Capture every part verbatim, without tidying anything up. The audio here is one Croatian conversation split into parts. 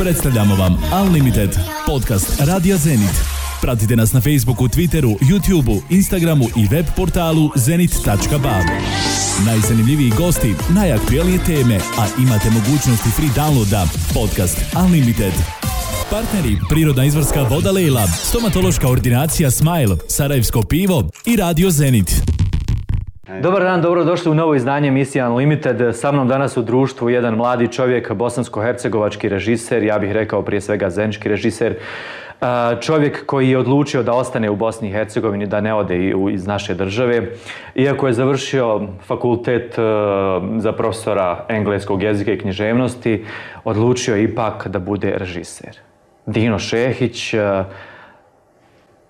Predstavljamo vam Unlimited, podcast Radija Zenit. Pratite nas na Facebooku, Twitteru, YouTubeu, Instagramu i web portalu zenit tačka b a. Najzanimljiviji gosti, najaktuelnije teme, a imate mogućnosti free downloada. Podcast Unlimited. Partneri: Prirodna izvorska voda Lejla, stomatološka ordinacija Smile, Sarajevsko pivo i Radio Zenit. Dobar dan, dobrodošli u novo izdanje emisije Unlimited. Sa mnom danas u društvu jedan mladi čovjek, bosansko-hercegovački režiser, ja bih rekao prije svega zenički režiser. Čovjek koji je odlučio da ostane u Bosni i Hercegovini, da ne ode iz naše države. Iako je završio fakultet za profesora engleskog jezika i književnosti, odlučio je ipak da bude režiser. Dino Šehić,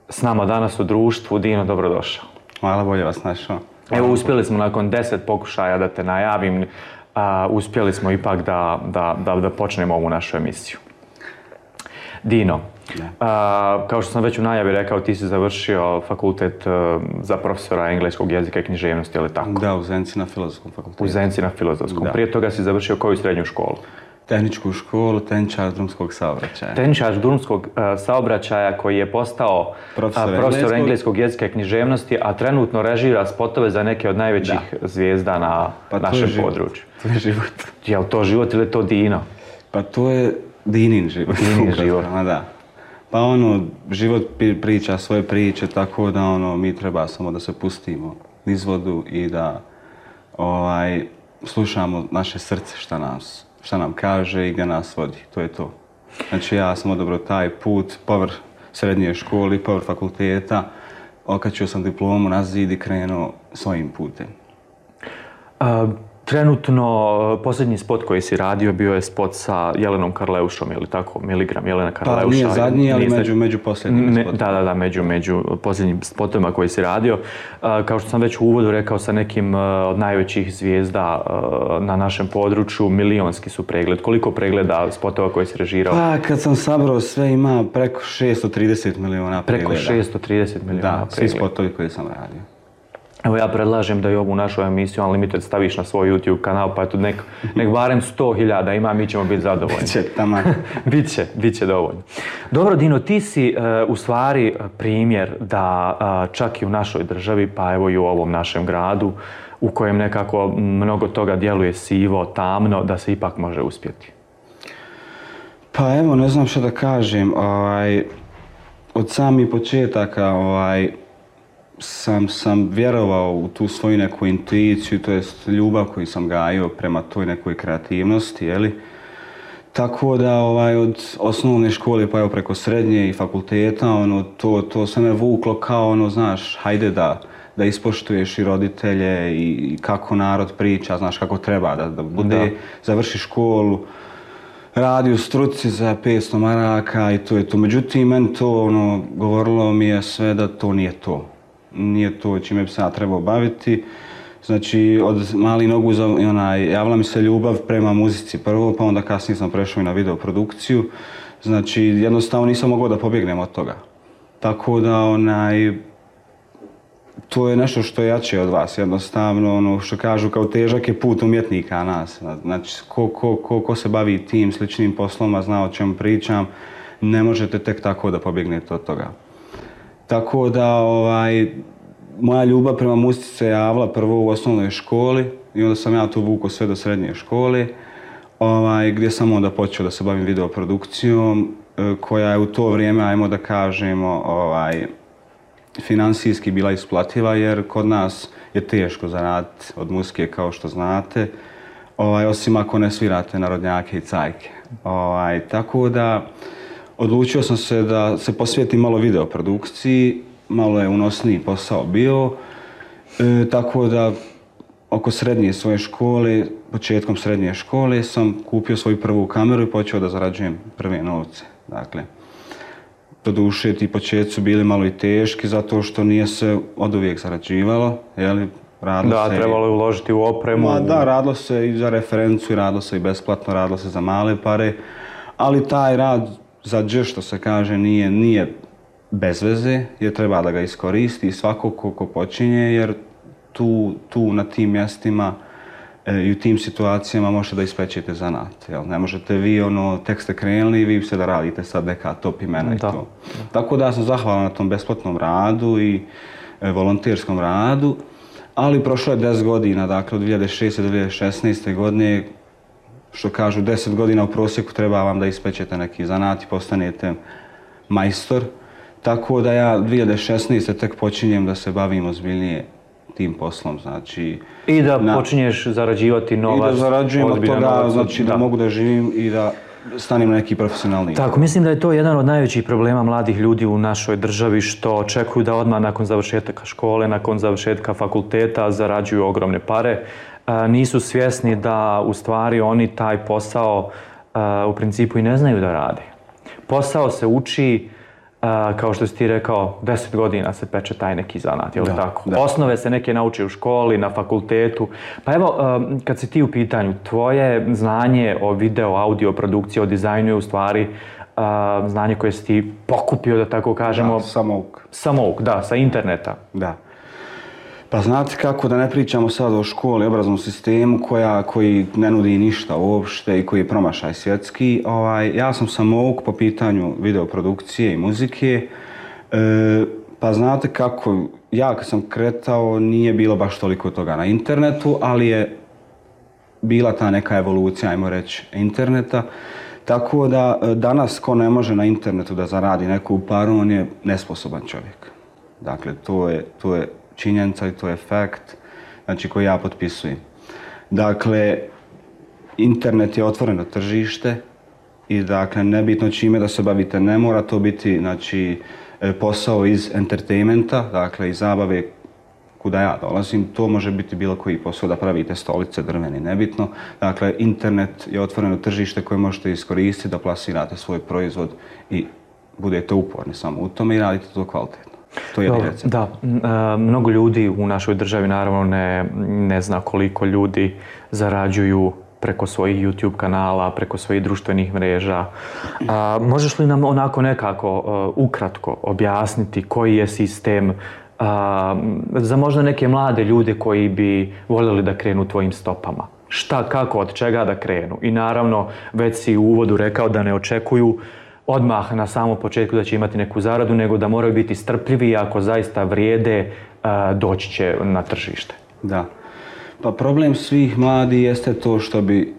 s nama danas u društvu. Dino, dobrodošao. Hvala, bolje vas našao. Evo, uspjeli smo nakon deset pokušaja da te najavim, a, uspjeli smo ipak da, da, da, da počnemo ovu našu emisiju. Dino, a, kao što sam već u najavi rekao, ti si završio fakultet a, za profesora engleskog jezika i književnosti, je li tako? Da, u Zenici na Filozofskom fakultetu. U Zenici na Filozofskom. Da. Prije toga si završio koju srednju školu? Tehničku školu, tehničar drumskog saobraćaja. Tehničar drumskog uh, saobraćaja koji je postao profesor, uh, profesor engleskog... engleskog jezika i književnosti, a trenutno režira spotove za neke od najvećih da. zvijezda na pa našem području. To je život. Je li to život ili je to Dino? Pa to je Dinin život. Dinin život. Da. Pa ono, život priča svoje priče, tako da ono, mi treba samo da se pustimo niz vodu i da ovaj, slušamo naše srce šta nas šta nam kaže i gdje nas vodi. To je to. Znači ja sam odabrao taj put, povrh srednje škole, povrh fakulteta, okačio sam diplomu na zid i krenuo svojim putem. A, trenutno, posljednji spot koji si radio bio je spot sa Jelenom Karleušom, je li tako? Miligram Jelena Karleuša. Pa nije zadnji, ali među, među posljednjim spotovima. Da, da, da, među, među posljednjim spotovima koji si radio. A, kao što sam već u uvodu rekao, sa nekim a, od najvećih zvijezda a, na našem području, milionski su pregled. Koliko pregleda spotova koji si režirao? Pa kad sam sabrao sve ima preko šesto trideset miliona pregleda. Preko šesto trideset miliona da, pregleda. svi spotovi koji sam radio. Evo ja predlažem da i ovu našu emisiju Unlimited staviš na svoj YouTube kanal, pa eto nek, nek barem sto hiljada ima, mi ćemo biti zadovoljni. Biće, tamo. Biće, biće dovoljno. Dobro, Dino, ti si uh, u stvari primjer da uh, čak i u našoj državi, pa evo i u ovom našem gradu, u kojem nekako mnogo toga djeluje sivo, tamno, da se ipak može uspjeti. Pa evo, ne znam što da kažem. Ovaj, od samih početaka ovaj, Sam, sam vjerovao u tu svoju neku intuiciju, to jest ljubav koju sam gajio prema toj nekoj kreativnosti, jeli? Tako da ovaj, od osnovne škole pa evo preko srednje i fakulteta, ono, to, to se me vuklo kao, ono, znaš, hajde da, da ispoštuješ i roditelje i, i kako narod priča, znaš, kako treba da, da bude, da. Završi školu, radi u struci za petsto maraka i to je to. Međutim, meni to, ono, govorilo mi je sve da to nije to. Nije to čime bi se ja trebao baviti. Znači, od malih nogu onaj, javila mi se ljubav prema muzici prvo, pa onda kasnije sam prešao i na videoprodukciju. Znači, jednostavno nisam mogao da pobjegnem od toga. Tako da, onaj, to je nešto što je jače od vas. Jednostavno, ono što kažu, kao težak je put umjetnika nas. Znači, ko, ko, ko, ko se bavi tim sličnim posloma, zna o čemu pričam, ne možete tek tako da pobjegnete od toga. Tako da, ovaj, moja ljubav prema muzici se javila prvo u osnovnoj školi i onda sam ja to vukao sve do srednje škole, ovaj, gdje sam onda počeo da se bavim videoprodukcijom, koja je u to vrijeme, ajmo da kažemo, ovaj, finansijski bila isplativa, jer kod nas je teško zaraditi od muzike, kao što znate, ovaj, osim ako ne svirate narodnjake i cajke. Ovaj, tako da, odlučio sam se da se posvijetim malo videoprodukciji, malo je unosniji posao bio, e, tako da oko srednje svoje škole, početkom srednje škole sam kupio svoju prvu kameru i počeo da zarađujem prve novce. Dakle, doduše ti početci su bili malo i teški zato što nije se od uvijek zarađivalo, jeli? Radilo da, se trebalo je uložiti u opremu. Ma, da, radilo se i za referencu, i radilo se i besplatno, radilo se za male pare, ali taj rad za dž, što se kaže, nije, nije bez veze, jer treba da ga iskoristi svako ko, ko počinje, jer tu, tu na tim mjestima i u tim situacijama možete da ispečete zanat. Jel? Ne možete vi, ono, tek ste krenuli i vi ste da radite sad neka top imena i da. to. Tako da sam zahvalan na tom besplatnom radu i e, volonterskom radu, ali prošlo je deset godina, dakle od dvije hiljade šeste do dvije hiljade šesnaeste. godine, što kažu deset godina u prosjeku treba vam da ispečete neki zanat i postanete majstor. Tako da ja dvije hiljade šesnaeste. tek počinjem da se bavim ozbiljnije tim poslom, znači... I da na, počinješ zarađivati novac. I da zarađujem od toga, novac, znači da. da mogu da živim i da stanem na neki profesionalni. Tako, mislim da je to jedan od najvećih problema mladih ljudi u našoj državi, što očekuju da odmah nakon završetka škole, nakon završetka fakulteta zarađuju ogromne pare. E, nisu svjesni da u stvari oni taj posao e, u principu i ne znaju da rade. Posao se uči, Uh, kao što si ti rekao, deset godina se peče taj neki zanat, je li tako? Da. Osnove se neke nauče u školi, na fakultetu. Pa evo, uh, kad si ti u pitanju, tvoje znanje o video, audio produkciji, o dizajnu je u stvari uh, znanje koje si ti pokupio, da tako kažemo. Da, samouk. Samouk, da, sa interneta. Da. Pa znate kako, da ne pričamo sad o školi, obrazovnom sistemu koja, koji ne nudi ništa uopšte i koji je promašaj svjetski. Ovaj, ja sam samouk po pitanju videoprodukcije i muzike. E, pa znate kako, ja kad sam kretao nije bilo baš toliko toga na internetu, ali je bila ta neka evolucija, ajmo reći, interneta. Tako da danas ko ne može na internetu da zaradi neku paru, on je nesposoban čovjek. Dakle, to je, to je činjenica i to je fakt, znači koji ja potpisujem. Dakle, internet je otvoreno tržište i dakle, nebitno čime da se bavite, ne mora to biti, znači, posao iz entertainmenta, dakle, iz zabave kuda ja dolazim, to može biti bilo koji posao da pravite stolice, drveni, nebitno. Dakle, internet je otvoreno tržište koje možete iskoristiti da plasirate svoj proizvod i budete uporni samo u tome i radite to kvalitetno. To je Dobro, da, mnogo ljudi u našoj državi naravno ne, ne zna koliko ljudi zarađuju preko svojih YouTube kanala, preko svojih društvenih mreža. A, možeš li nam onako nekako uh, ukratko objasniti koji je sistem a, za možda neke mlade ljude koji bi voljeli da krenu tvojim stopama? Šta, kako, od čega da krenu? I naravno, već si u uvodu rekao da ne očekuju odmah na samom početku da će imati neku zaradu, nego da moraju biti strpljivi i ako zaista vrijede, doći će na tržište. Da. Pa problem svih mladih jeste to što bi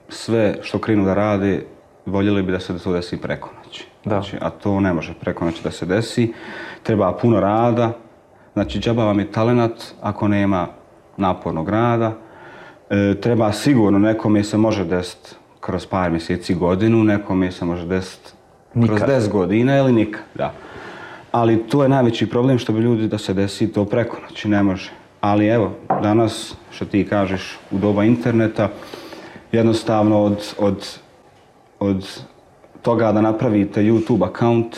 sve što krenu da rade, voljeli bi da se to desi preko noći. Znači, a to ne može preko noći da se desi. Treba puno rada. Znači, džaba vam je talenat ako nema napornog rada. E, treba sigurno, nekome se može desiti kroz par mjeseci, godinu, nekome se može desiti kroz deset godina ili nikad, da. Ali to je najveći problem što bi ljudi da se desi to preko noći, ne može. Ali evo, danas, što ti kažeš, u doba interneta, jednostavno od, od, od toga da napravite YouTube account,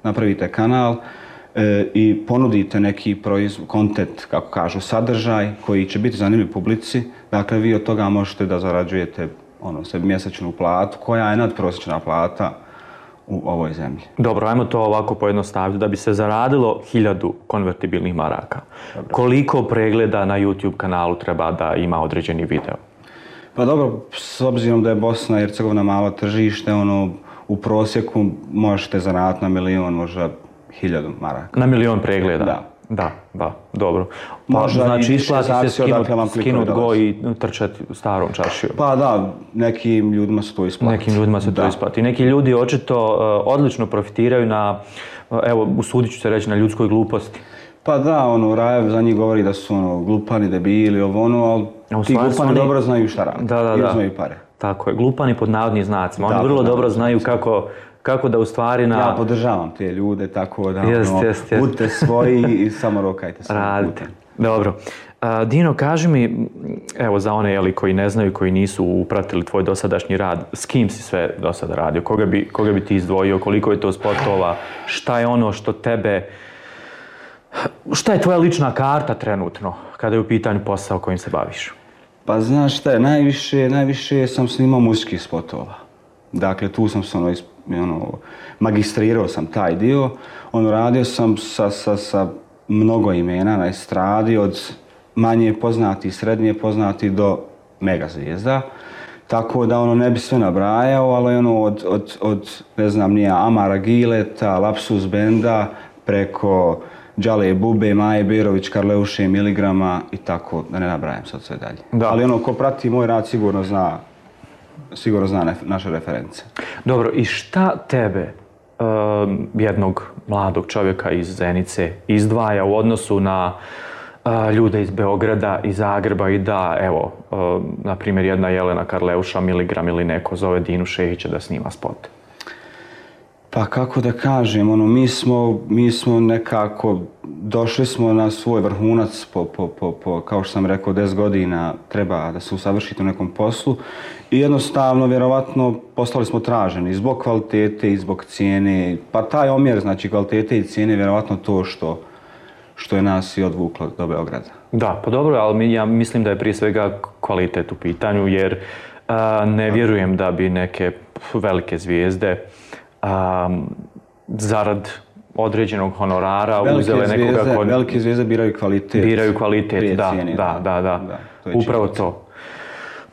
napravite kanal e, i ponudite neki proizvod, content, kako kažu, sadržaj koji će biti zanimljiv publici, dakle vi od toga možete da zarađujete ono, sebi mjesečnu platu koja je nadprosječna plata u ovoj zemlji. Dobro, ajmo to ovako pojednostaviti. Da bi se zaradilo hiljadu konvertibilnih maraka, dobro, koliko pregleda na YouTube kanalu treba da ima određeni video? Pa dobro, s obzirom da je Bosna i Hercegovina malo tržište, ono, u prosjeku možete zaraditi na milion, možda hiljadu maraka. Na milion pregleda? Da. Da, da, dobro. Pa, možda znači isplati se skinut, skinut go i trčati starom čašijom. Pa da, nekim ljudima se to isplati. Nekim ljudima se da. to isplati. Neki ljudi očito uh, odlično profitiraju na, uh, evo, usudit ću se reći, na ljudskoj gluposti. Pa da, ono, Rajev za njih govori da su ono, glupani, debili, ovo ono, ali ti glupani oni dobro znaju šta radi. Da, da, i da. uzmaju pare. Tako je, glupani pod navodnim znacima. Oni da, vrlo dobro znaju kako, kako da u stvari na... Ja podržavam te ljude, tako da jest, ono, jest, jest. budite svoji i samo rokajte svojim putem. Dobro. Uh, Dino, kaži mi, evo za one jeli, koji ne znaju, koji nisu upratili tvoj dosadašnji rad, s kim si sve do sada radio? Koga bi, koga bi ti izdvojio? Koliko je to spotova? Šta je ono što tebe... Šta je tvoja lična karta trenutno kada je u pitanju posao kojim se baviš? Pa znaš šta je, najviše, najviše sam snimao muzičkih spotova. Dakle, tu sam se ono, ono, magistrirao sam taj dio. Ono, radio sam sa, sa, sa mnogo imena na estradi, od manje poznati, srednje poznati do mega zvijezda. Tako da ono ne bi sve nabrajao, ali ono od, od, od ne znam nije, Amara Gileta, Lapsus Benda, preko Đale Bube, Maje Berović, Karleuše Miligrama i tako, da ne nabrajam sad sve dalje. Da. Ali ono ko prati moj rad sigurno zna, sigurno zna nef, naše reference. Dobro, i šta tebe, um, jednog mladog čovjeka iz Zenice, izdvaja u odnosu na uh, ljude iz Beograda i Zagreba i da, evo, uh, na primjer jedna Jelena Karleuša Miligram ili neko zove Dinu Šehića da snima spot? Pa kako da kažem, ono, mi smo, mi smo nekako, došli smo na svoj vrhunac po, po, po, po kao što sam rekao, deset godina treba da se usavršite u nekom poslu i jednostavno, vjerovatno, postali smo traženi zbog kvalitete i zbog cijene, pa taj omjer, znači kvalitete i cijene, vjerovatno to što, što je nas i odvuklo do Beograda. Da, pa dobro, ali mi, ja mislim da je prije svega kvalitet u pitanju, jer a, ne vjerujem da bi neke velike zvijezde Um, zarad određenog honorara velike uzele zvijezde, nekoga kod... Velike zvijezde biraju kvalitet. Biraju kvalitet, da, cijeni, da, da, da, da. To upravo to.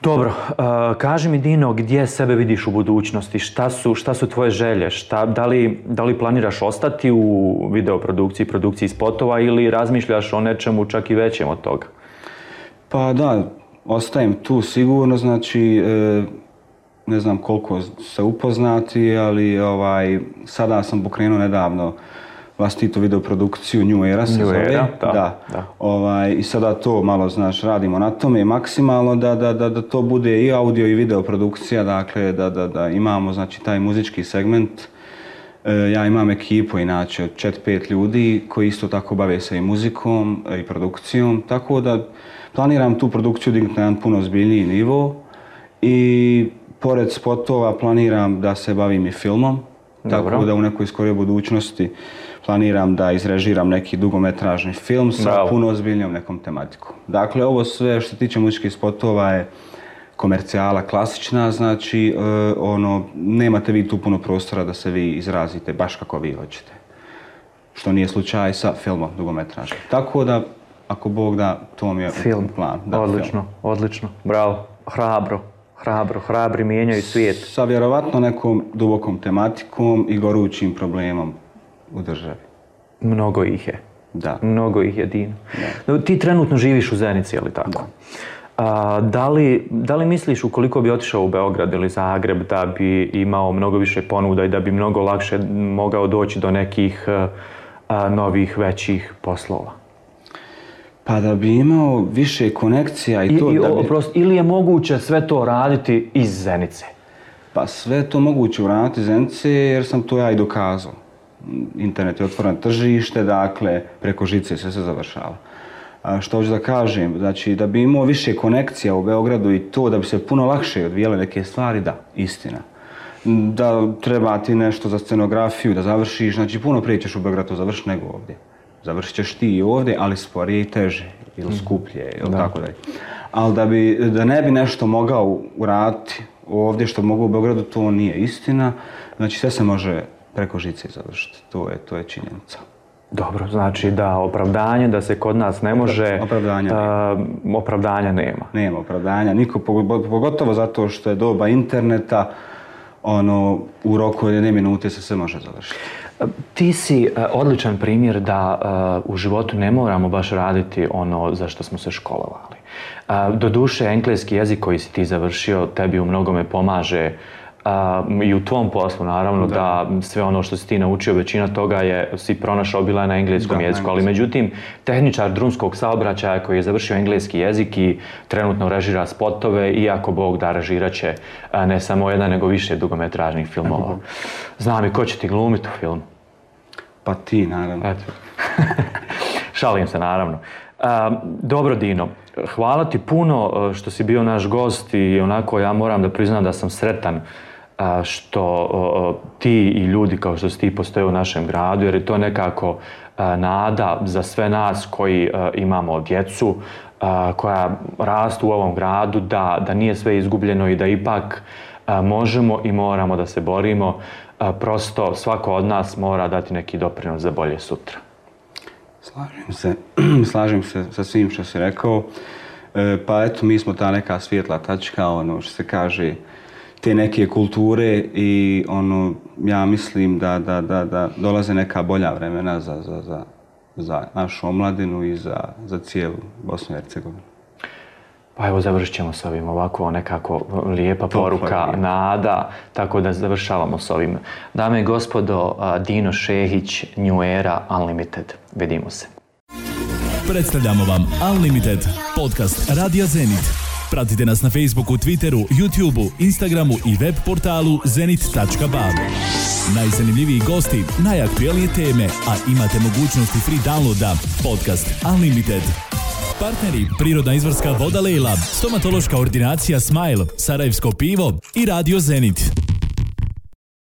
Dobro, uh, kaži mi Dino, gdje sebe vidiš u budućnosti? Šta su, šta su tvoje želje? Šta, da, li, da li planiraš ostati u videoprodukciji, produkciji spotova ili razmišljaš o nečemu čak i većem od toga? Pa da, ostajem tu sigurno, znači... E, ne znam koliko se upoznati, ali ovaj, sada sam pokrenuo nedavno vlastitu videoprodukciju New Era se zove. Era, da, da. da. Ovaj, i sada to malo, znaš, radimo na tome maksimalno da, da, da, da to bude i audio i videoprodukcija, dakle da, da, da imamo znači taj muzički segment. E, ja imam ekipu inače od četiri pet ljudi koji isto tako bave se i muzikom i produkcijom, tako da planiram tu produkciju dignuti na jedan puno ozbiljniji nivo i pored spotova planiram da se bavim i filmom, Dobro. Tako da u nekoj skorijoj budućnosti planiram da izrežiram neki dugometražni film sa Bravo. puno ozbiljnijom nekom tematikom. Dakle, ovo sve što se tiče muzičkih spotova je komercijala klasična, znači uh, ono, nemate vi tu puno prostora da se vi izrazite baš kako vi hoćete. Što nije slučaj sa filmom dugometražnim. Tako da, ako Bog da, to mi je film. plan. Da, odlično, film. odlično, bravo, hrabro. Hrabro, hrabri mijenjaju svijet. Sa vjerovatno nekom dubokom tematikom i gorućim problemom u državi. Mnogo ih je. Da. Mnogo ih je, Dino. Da. Ti trenutno živiš u Zenici, je li tako? Da. A, da, li, da li misliš ukoliko bi otišao u Beograd ili Zagreb da bi imao mnogo više ponuda i da bi mnogo lakše mogao doći do nekih a, novih, većih poslova? Pa da bi imao više konekcija i, I to i, da bi... Oprost, ili je moguće sve to raditi iz Zenice? Pa sve je to moguće uraditi iz Zenice jer sam to ja i dokazao. Internet je otvoreno tržište, dakle preko žice sve se završava. A što hoću da kažem, znači da bi imao više konekcija u Beogradu i to da bi se puno lakše odvijale neke stvari, da, istina. Da treba ti nešto za scenografiju, da završiš, znači puno prije ćeš u Beogradu završiti nego ovdje. Završit ćeš ti i ovdje, ali sporije i teže, ili skuplje, ili tako dalje. Ali da, bi, da ne bi nešto mogao uraditi ovdje što mogu u Beogradu, to nije istina. Znači sve se može preko žice završiti, to je, to je činjenica. Dobro, znači da opravdanje da se kod nas ne može... Opravdanja nema. Uh, opravdanja nema. Nema opravdanja, niko, pogotovo zato što je doba interneta, ono, u roku od jedne minute se sve može završiti. Ti si uh, odličan primjer da uh, u životu ne moramo baš raditi ono za što smo se školovali. Uh, doduše, engleski jezik koji si ti završio tebi u mnogome pomaže uh, i u tvom poslu, naravno, da. da sve ono što si ti naučio, većina toga je si pronašao bila na engleskom da, jeziku, ali međutim, tehničar drumskog saobraćaja koji je završio engleski jezik i trenutno režira spotove, iako Bog da režirat će uh, ne samo jedan, nego više dugometražnih filmova. Znam i ko će ti glumiti u filmu? Pa ti, naravno. Eto. Šalim se, naravno. Uh, dobro, Dino, hvala ti puno što si bio naš gost i onako ja moram da priznam da sam sretan uh, što uh, ti i ljudi kao što si ti postoje u našem gradu, jer je to nekako uh, nada za sve nas koji uh, imamo djecu, uh, koja rastu u ovom gradu, da, da nije sve izgubljeno i da ipak uh, možemo i moramo da se borimo. Uh, prosto svako od nas mora dati neki doprinos za bolje sutra. Slažem se, slažem se sa svim što si rekao. E, pa eto, mi smo ta neka svjetla tačka, ono što se kaže, te neke kulture i ono, ja mislim da, da, da, da dolaze neka bolja vremena za, za, za, za našu omladinu i za, za cijelu Bosnu i Hercegovinu. Pa evo, završit ćemo s ovim ovako nekako lijepa poruka, nada, tako da završavamo s ovim. Dame i gospodo, Dino Šehić, New Era Unlimited. Vidimo se. Predstavljamo vam Unlimited, podcast Radija Zenit. Pratite nas na Facebooku, Twitteru, YouTubeu, Instagramu i web portalu zenit tačka b a. Najzanimljiviji gosti, najaktuelnije teme, a imate mogućnosti free downloada. Podcast Unlimited. Partneri: Prirodna izvorska voda Lejla, stomatološka ordinacija Smile, Sarajevsko pivo i Radio Zenit.